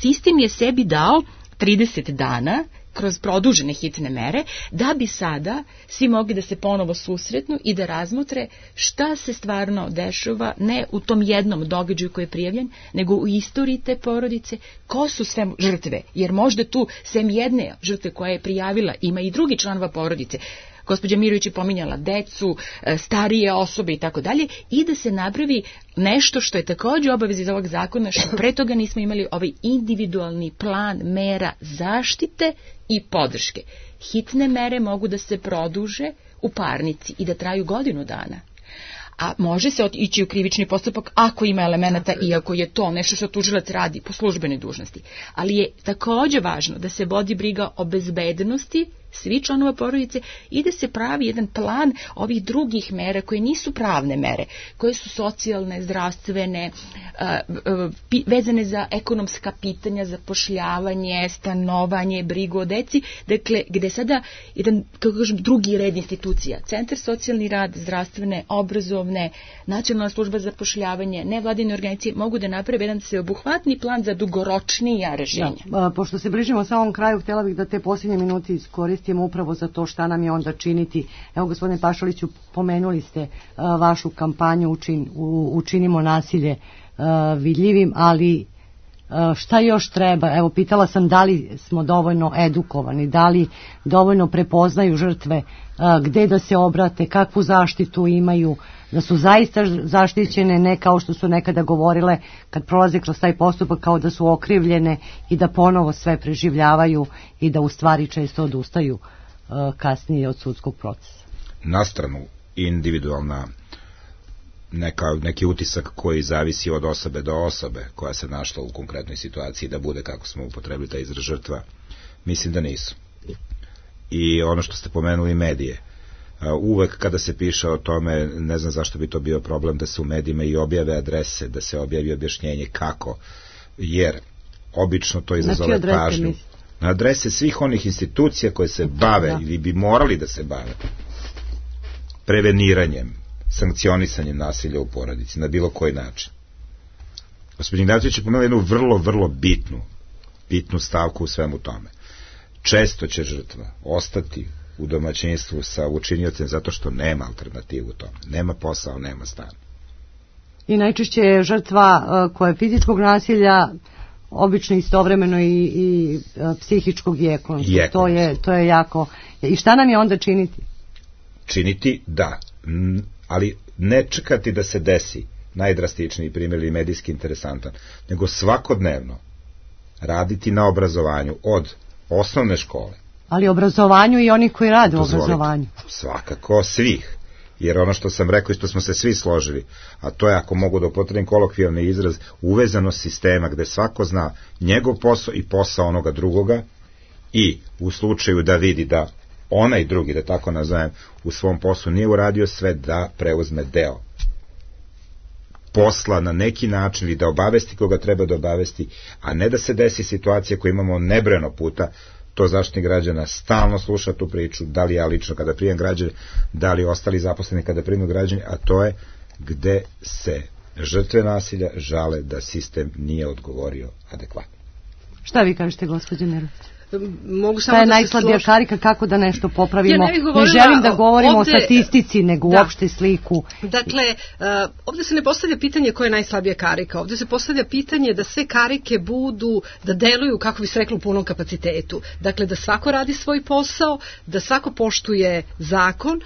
sistem je sebi dao 30 dana kroz produžene hitne mere, da bi sada svi mogli da se ponovo susretnu i da razmotre šta se stvarno dešava, ne u tom jednom događaju koji je prijavljen, nego u istoriji te porodice, ko su sve žrtve, jer možda tu sem jedne žrtve koja je prijavila ima i drugi članova porodice. Gospođa Mirović je pominjala decu, starije osobe i tako dalje, i da se napravi nešto što je također obaveza iz ovog zakona, što pre toga nismo imali, ovaj individualni plan mera zaštite i podrške. Hitne mere mogu da se produže u parnici i da traju godinu dana. A može se ići u krivični postupak ako ima elemenata i ako je to nešto što tužilac radi po službenoj dužnosti. Ali je također važno da se vodi briga o bezbednosti svi članova porodice i da se pravi jedan plan ovih drugih mera koje nisu pravne mere, koje su socijalne, zdravstvene, vezane za ekonomska pitanja, zapošljavanje, stanovanje, brigu o deci, dakle gde sada jedan, kako kažem, drugi red institucija, centar socijalni rad, zdravstvene, obrazovne, nacionalna služba za zapošljavanje, nevladine organizacije mogu da naprave jedan sveobuhvatni plan za dugoročnija rešenja. Pošto se bližimo samom kraju, htjela bih da te posljednje minuti iskoristimo upravo za to šta nam je onda činiti. Evo, gospodine Pašaliću, pomenuli ste vašu kampanju Učinimo nasilje vidljivim, ali šta još treba? Evo, pitala sam da li smo dovoljno edukovani, da li dovoljno prepoznaju žrtve, gde da se obrate, kakvu zaštitu imaju, da su zaista zaštićene, ne kao što su nekada govorile kad prolaze kroz taj postupak kao da su okrivljene i da ponovo sve preživljavaju i da u stvari često odustaju kasnije od sudskog procesa. Na stranu individualna neki utisak koji zavisi od osobe do osobe koja se našla u konkretnoj situaciji da bude, kako smo upotrebili taj izraz, žrtva, mislim da nisu. I ono što ste pomenuli, medije, uvek kada se piše o tome, ne znam zašto bi to bio problem da se u medijima i objave adrese, da se objavi objašnjenje kako, jer obično to izazove pažnju. Na adrese svih onih institucija koje se bave ili bi morali da se bave preveniranjem, sankcionisanjem nasilja u porodici na bilo koji način. Gospodin Ignatović je pomenula jednu vrlo bitnu stavku u svemu tome. Često će žrtva ostati u domaćinstvu sa učiniocem zato što nema alternativu tome. Nema posao, nema stan. I najčešće je žrtva koja je fizičkog nasilja obično istovremeno i psihičkog i ekonomskog. To je jako. I šta nam je onda činiti? Činiti, da. Ali ne čekati da se desi najdrastičniji primjer ili medijski interesantan, nego svakodnevno raditi na obrazovanju od osnovne škole. Ali obrazovanju i onih koji rade u obrazovanju. Svakako svih. jer ono što sam rekao i što smo se svi složili, a to je, ako mogu da upotrebim kolokvijalni izraz, uvezanost sistema gde svako zna njegov posao i posao onoga drugoga, i u slučaju da vidi da onaj drugi, da tako nazovem, u svom poslu nije uradio sve, da preuzme deo posla na neki način ili da obavesti koga treba da obavesti, a ne da se desi situacija koju imamo nebrojeno puta. To Zaštitnik građana stalno sluša tu priču, da li ja lično kada primam građane, da li ostali zaposleni kada primaju građane, a to je gde se žrtve nasilja žale da sistem nije odgovorio adekvatno. Šta vi kažete, gospođo Nerović? Mogu samo da je najslabija karika, kako da nešto popravimo. Ja ne želim da govorimo ovde, o statistici, nego uopšte sliku. Dakle, ovde se ne postavlja pitanje koja je najslabija karika. Ovde se postavlja pitanje da sve karike budu, da deluju, kako bi se reklo, u punom kapacitetu. Dakle, da svako radi svoj posao, da svako poštuje zakon.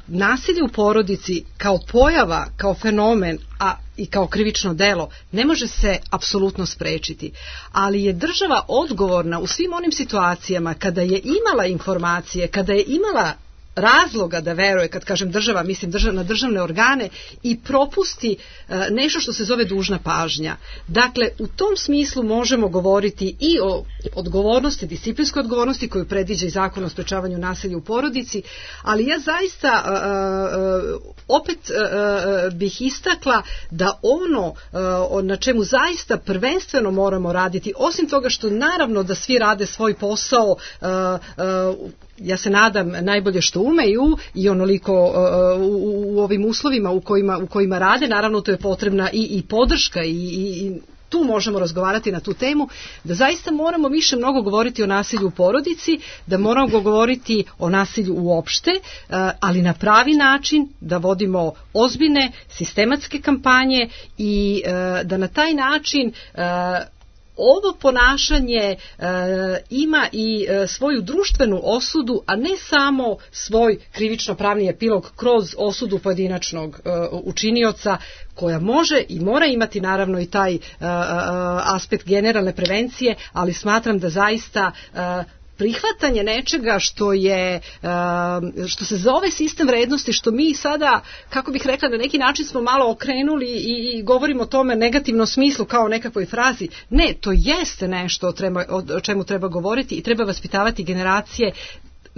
Nasilje u porodici kao pojava, kao fenomen, a i kao krivično delo, ne može se apsolutno sprečiti. Ali je država odgovorna u svim onim situacijama kada je imala informacije, kada je imala razloga da veruje, kad kažem država, mislim na državne organe, i propusti nešto što se zove dužna pažnja. Dakle, u tom smislu možemo govoriti i o odgovornosti, disciplinskoj odgovornosti koju predviđa i Zakon o sprečavanju nasilja u porodici, ali ja zaista opet bih istakla da ono na čemu zaista prvenstveno moramo raditi, osim toga što naravno da svi rade svoj posao, ja se nadam najbolje što umeju i onoliko u ovim uslovima u kojima rade, naravno to je potrebna i podrška i tu možemo razgovarati na tu temu, da zaista moramo više mnogo govoriti o nasilju u porodici, da moramo govoriti o nasilju uopšte, ali na pravi način, da vodimo ozbiljne sistematske kampanje i da na taj način ovo ponašanje ima i svoju društvenu osudu, a ne samo svoj krivično-pravni epilog kroz osudu pojedinačnog učinioca, koja može i mora imati naravno i taj aspekt generalne prevencije, ali smatram da zaista prihvatanje nečega što se zove sistem vrednosti, što mi sada, kako bih rekla, na neki način smo malo okrenuli i govorimo o tome negativnom smislu kao o nekakvoj frazi. Ne, to jeste nešto o čemu treba govoriti i treba vaspitavati generacije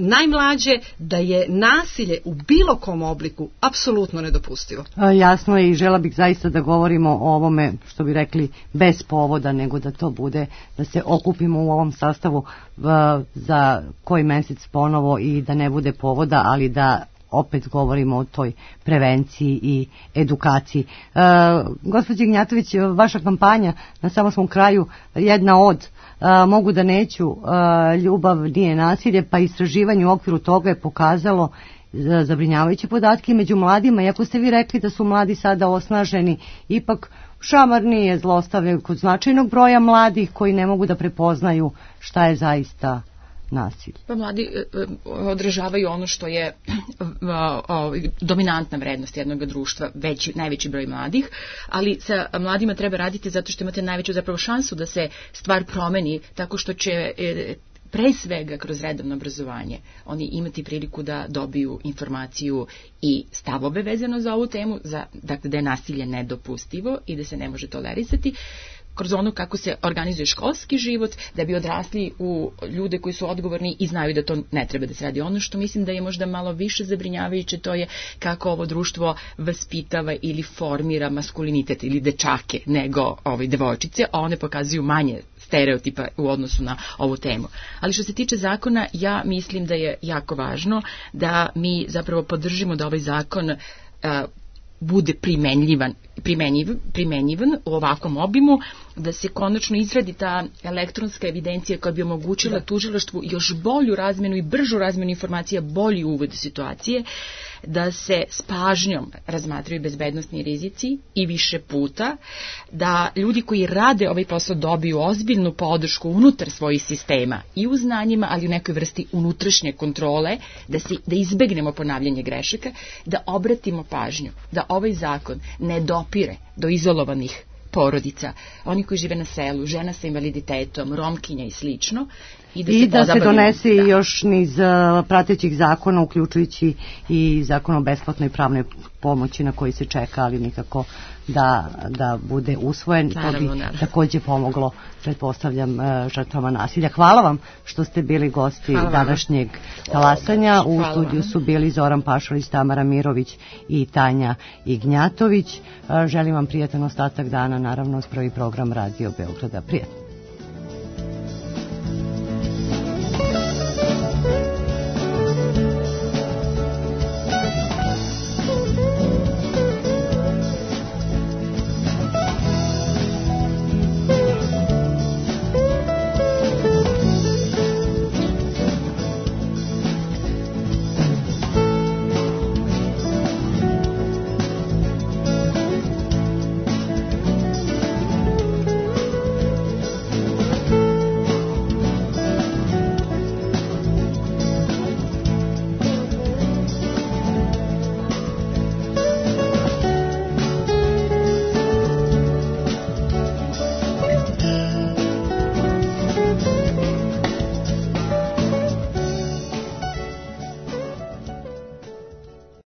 najmlađe, da je nasilje u bilo kom obliku apsolutno nedopustivo. Jasno je, i žela bih zaista da govorimo o ovome, što bi rekli, bez povoda, nego da to bude, da se okupimo u ovom sastavu za koji mesec ponovo i da ne bude povoda, ali da opet govorimo o toj prevenciji i edukaciji. Gospođo Ignjatović, vaša kampanja na samom svom kraju, jedna od mogu da neću, ljubav nije nasilje, pa istraživanje u okviru toga je pokazalo zabrinjavajuće podatke među mladima, iako ste vi rekli da su mladi sada osnaženi, ipak šamar nije zlostavljaju kod značajnog broja mladih koji ne mogu da prepoznaju šta je zaista nasilje. Pa mladi odražavaju ono što je dominantna vrednost jednog društva, najveći broj mladih, ali sa mladima treba raditi zato što imate najveću zapravo šansu da se stvar promeni, tako što će pre svega kroz redovno obrazovanje oni imati priliku da dobiju informaciju i stavove vezano za ovu temu, dakle da je nasilje nedopustivo i da se ne može tolerisati, kroz ono kako se organizuje školski život, da bi odrasli u ljude koji su odgovorni i znaju da to ne treba da se radi. Ono što mislim da je možda malo više zabrinjavajuće, to je kako ovo društvo vaspitava ili formira maskulinitet ili dečake nego devojčice, a one pokazuju manje stereotipa u odnosu na ovu temu. Ali što se tiče zakona, ja mislim da je jako važno da mi zapravo podržimo da ovaj zakon bude primenjivan u ovakvom obimu, da se konačno izradi ta elektronska evidencija koja bi omogućila tužilaštvu još bolju razmenu i bržu razmenu informacija, bolji uvod situacije, da se s pažnjom razmatraju bezbednosni rizici i više puta, da ljudi koji rade ovaj posao dobiju ozbiljnu podršku unutar svojih sistema i u znanjima, ali u nekoj vrsti unutrašnje kontrole, da izbegnemo ponavljanje grešaka, da obratimo pažnju, da ovaj zakon ne dopire do izolovanih porodica, oni koji žive na selu, žena sa invaliditetom, romkinja i slično. I da se donese još niz pratećih zakona, uključujući i zakon o besplatnoj pravnoj pomoći na koji se čeka, ali nikako da bude usvojen. To bi takođe pomoglo, pretpostavljam, žrtvama nasilja. Hvala vam što ste bili gosti današnjeg talasanja. U studiju su bili Zoran Pašalić, Tamara Mirović i Tanja Ignjatović. Želim vam prijatan ostatak dana, naravno, uz prvi program Radio Beograda. Prijatno.